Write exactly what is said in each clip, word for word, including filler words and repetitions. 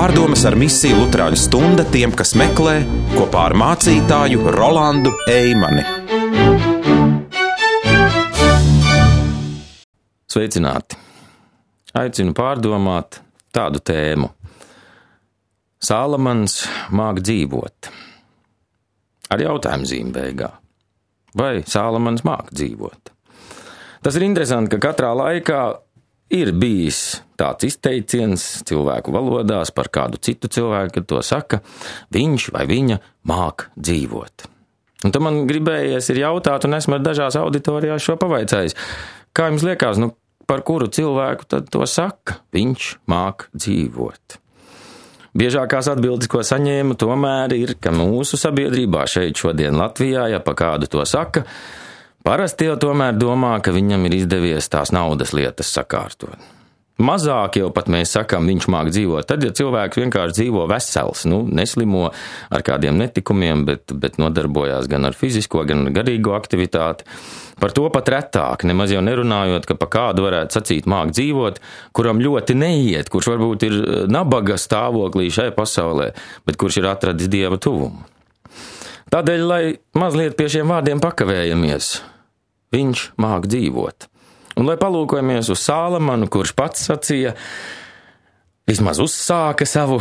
Pārdomas ar misiju Luterāņu stunda tiem, kas meklē, kopā ar mācītāju Rolandu Eimani. Sveicināti! Aicinu pārdomāt tādu tēmu. Salamans māk dzīvot. Ar jautājumu zīmi beigā. Vai Salamans māk dzīvot? Tas ir interesanti, ka katrā laikā ir bijis tāds izteiciens cilvēku valodās par kādu citu cilvēku, kad to saka, viņš vai viņa māk dzīvot. Un tad man gribējies ir jautāt, un esmu ar dažās auditorijās šo pavaicājis. Kā jums liekas, nu, par kuru cilvēku tad to saka? Viņš māk dzīvot. Biežākās atbildes, ko saņēmu, tomēr ir, ka mūsu sabiedrībā šeit šodien Latvijā, ja pa kādu to saka, parasti jau tomēr domā, ka viņam ir izdevies tās naudas lietas sakārtot. Mazāk jau pat mēs sakām, viņš māk dzīvot. Tad, ja cilvēks vienkārši dzīvo vesels, nu, neslimo ar kādiem netikumiem, bet, bet nodarbojās gan ar fizisko, gan ar garīgo aktivitāti, par to pat retāk, nemaz jau nerunājot, ka pa kādu varētu sacīt māk dzīvot, kuram ļoti neiet, kurš varbūt ir nabaga stāvoklī šai pasaulē, bet kurš ir atradis Dieva tuvumu. Tādēļ, lai mazliet pie šiem vārdiem pakavējamies, viņš māk dzīvot. Un lai palūkojamies uz Salamanu, kurš pats sacīja, vismaz uzsāka savu,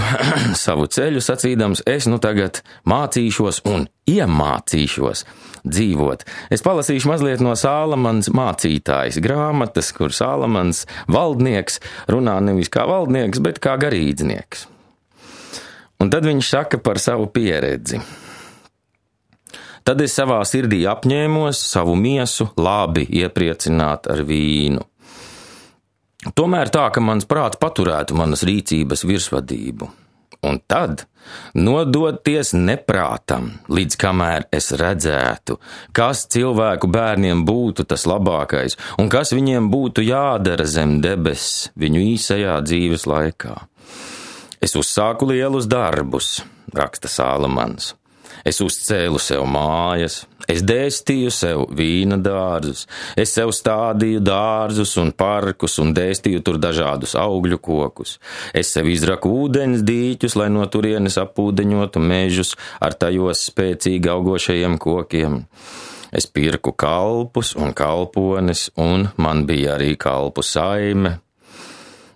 savu ceļu sacīdams, es nu tagad mācīšos un iemācīšos dzīvot. Es palasīšu mazliet no Salamans mācītājas grāmatas, kur Salamans valdnieks runā nevis kā valdnieks, bet kā garīdznieks. Un tad viņš saka par savu pieredzi. Tad es savā sirdī apņēmos savu miesu labi iepriecināt ar vīnu. Tomēr tā, ka mans prāts paturētu manas rīcības virsvadību. Un tad nodoties neprātam, līdz kamēr es redzētu, kas cilvēku bērniem būtu tas labākais un kas viņiem būtu jādara zem debesis viņu īsajā dzīves laikā. Es uzsāku lielus darbus, raksta Salamans. Es uzcēlu sev mājas, es dēstīju sev vīna dārzus, es sev stādīju dārzus un parkus un dēstīju tur dažādus augļu kokus. Es sev izraku ūdens dīķus, lai no turienes apūdeņotu mežus ar tajos spēcīgi augošajiem kokiem. Es pirku kalpus un kalpones, un man bija arī kalpu saime.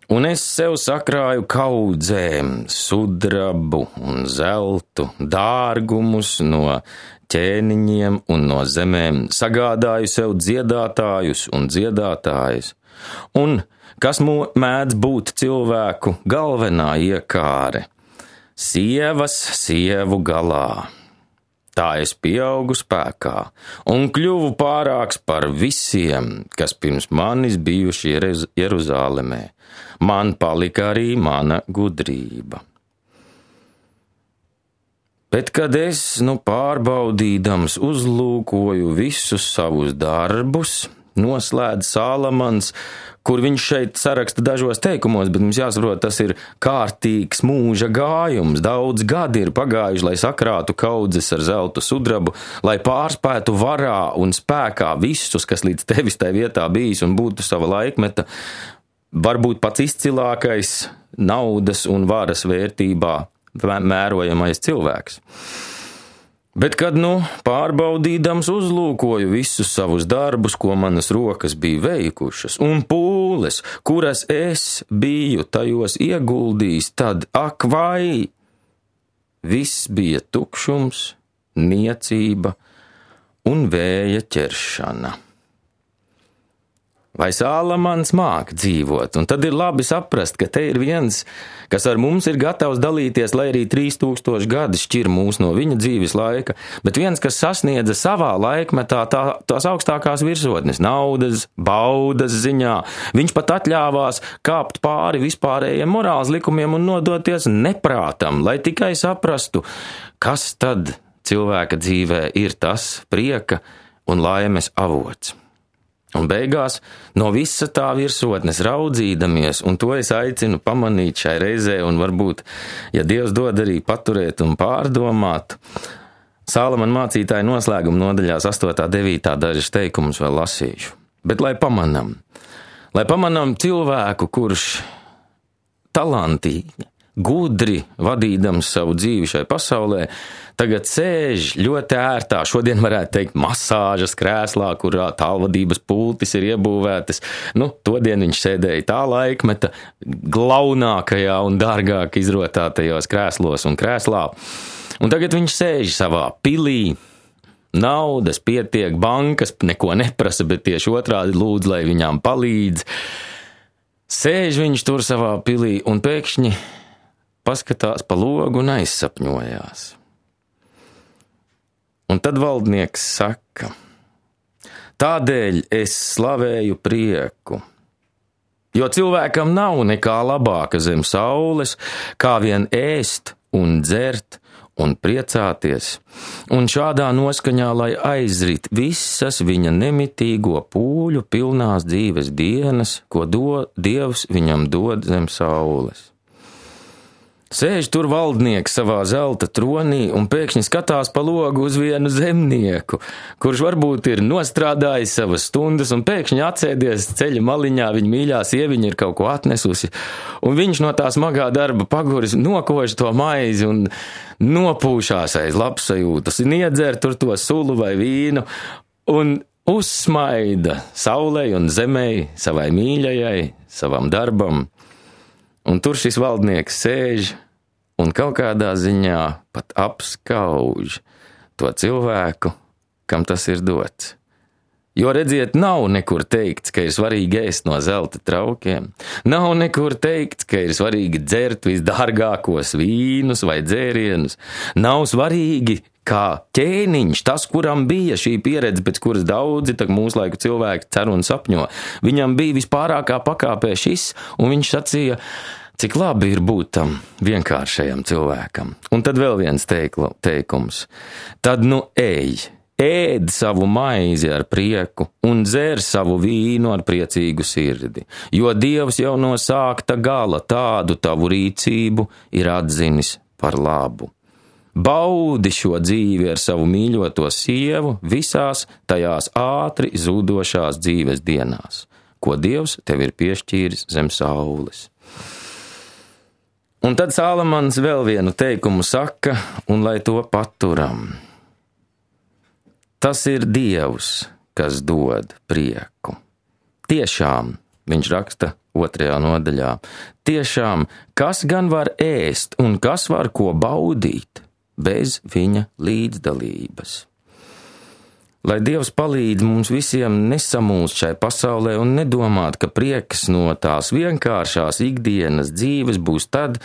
Un es sev sakrāju kaudzēm, sudrabu un zeltu, dārgumus no ķēniņiem un no zemēm, sagādāju sev dziedātājus un dziedātājas. Un kas mēdz būt cilvēku galvenā iekāre? Sievas sievu galā. Tā es pieaugu spēkā un kļuvu pārāks par visiem, kas pirms manis bijuši Jeruzālemē. Man palika arī mana gudrība. Bet, kad es, nu, pārbaudīdams uzlūkoju visus savus darbus, noslēdz Salamans, kur viņš šeit saraksta dažos teikumos, bet mums jāsaprot, tas ir kārtīgs mūža gājums. Daudz gadi ir pagājuši, lai sakrātu kaudzes ar zeltu sudrabu, lai pārspētu varā un spēkā visus, kas līdz tevis tai vietā bijis un būtu sava laikmeta, varbūt pats izcilākais naudas un varas vērtībā mērojamais cilvēks. Bet, kad, nu, pārbaudīdams uzlūkoju visus savus darbus, ko manas rokas bija veikušas, un pūles, kuras es biju tajos ieguldījis, tad, ak vai, viss bija tukšums, niecība un vēja ķeršana. Vai Salamans māk dzīvot? Un tad ir labi saprast, ka te ir viens, kas ar mums ir gatavs dalīties, lai arī trīs tūkstoši gadi šķir mūs no viņa dzīves laika, bet viens, kas sasniedza savā laikmetā tā, tās augstākās virsotnes, naudas, baudas ziņā. Viņš pat atļāvās kāpt pāri vispārējiem morāls likumiem un nodoties neprātam, lai tikai saprastu, kas tad cilvēka dzīvē ir tas prieka un laimes avots. Un beigās no visa tā virsotnes raudzīdamies, un to es aicinu pamanīt šai reizē, un varbūt, ja Dievs dod arī paturēt un pārdomāt, Salamana mācītāja noslēguma nodaļās astotā, devītā dažas teikumus vēl lasīšu. Bet lai pamanam, lai pamanam cilvēku, kurš talantīgi gudri vadīdams savu dzīvi šai pasaulē, tagad sēž ļoti ērtā, šodien varētu teikt, masāžas krēslā, kurā tālvadības pultis ir iebūvētas. Nu, todien viņš sēdēja tā laikmeta glaunākajā un dārgāk izrotātajos krēslos un krēslā. Un tagad viņš sēž savā pilī, naudas pietiek, bankas neko neprasa, bet tieši otrādi lūdz, lai viņām palīdz. Sēž viņš tur savā pilī un pēkšņi paskatās pa logu un aizsapņojās. Un tad valdnieks saka, tādēļ es slavēju prieku, jo cilvēkam nav nekā labāka zem saules, kā vien ēst un dzert un priecāties, un šādā noskaņā, lai aizrit visas viņa nemitīgo pūļu pilnās dzīves dienas, ko do, Dievs viņam dod zem saules. Sēž tur valdnieks savā zelta tronī un pēkšņi skatās pa logu uz vienu zemnieku, kurš varbūt ir nostrādājis savas stundas un pēkšņi atsēdies ceļa maliņā, viņa mīļā sieviņa ir kaut ko atnesusi, un viņš no tā smagā darba paguris nokož to maizi un nopūšās aiz labsajūtas, un iedzer tur to sulu vai vīnu, un uzsmaida saulei un zemei, savai mīļajai, savam darbam. Un tur šis valdnieks sēž un kaut kādā ziņā pat apskauž to cilvēku, kam tas ir dots. Jo, redziet, nav nekur teikts, ka ir svarīgi ēst no zelta traukiem. Nav nekur teikts, ka ir svarīgi dzert visdārgākos vīnus vai dzērienus. Nav svarīgi, kā ķēniņš, tas, kuram bija šī pieredze, pēc kuras daudzi tak mūslaiku cilvēki cer un sapņo. Viņam bija vispārākā pakāpē šis, un viņš sacīja, cik labi ir būt tam vienkāršajam cilvēkam. Un tad vēl viens teiklu, teikums. Tad nu ej, ēd savu maizi ar prieku un dzer savu vīnu ar priecīgu sirdi, jo Dievs jau no sākta gala tādu tavu rīcību ir atzinis par labu. Baudi šo dzīvi ar savu mīļoto sievu visās tajās ātri zudošās dzīves dienās, ko Dievs tev ir piešķīris zem saules. Un tad Salamans vēl vienu teikumu saka, un lai to paturam. Tas ir Dievs, kas dod prieku. Tiešām, viņš raksta otrajā nodaļā, tiešām, kas gan var ēst un kas var ko baudīt bez viņa līdzdalības. Lai Dievs palīdz mums visiem nesamūst šai pasaulē un nedomāt, ka prieks no tās vienkāršās ikdienas dzīves būs tad,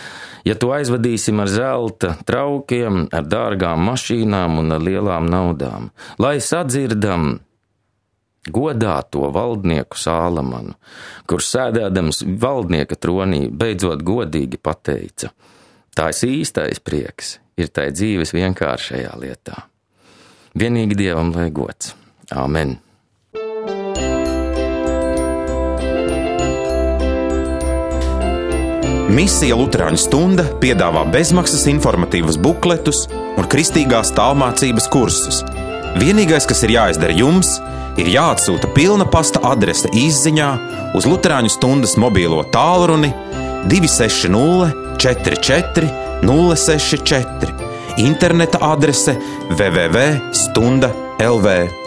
ja to aizvadīsim ar zelta traukiem, ar dārgām mašīnām un ar lielām naudām. Lai sadzirdam godāto valdnieku Salamanu, kurš sēdēdams valdnieka tronī beidzot godīgi pateica, tās īstais prieks ir tai dzīves vienkāršajā lietā. Vienīgi Dievam lai gods. Āmen. Misija Luterāņu stunda piedāvā bezmaksas informatīvus bukletus un kristīgās tālmācības kursus. Vienīgais, kas ir jāizdara jums, ir jāatsūta pilna pasta adrese izziņā uz Luterāņu stundas mobīlo tālruni divi seši nulle četri četri nulle seši četri. Interneta adrese w w w punkt stunda punkt l v.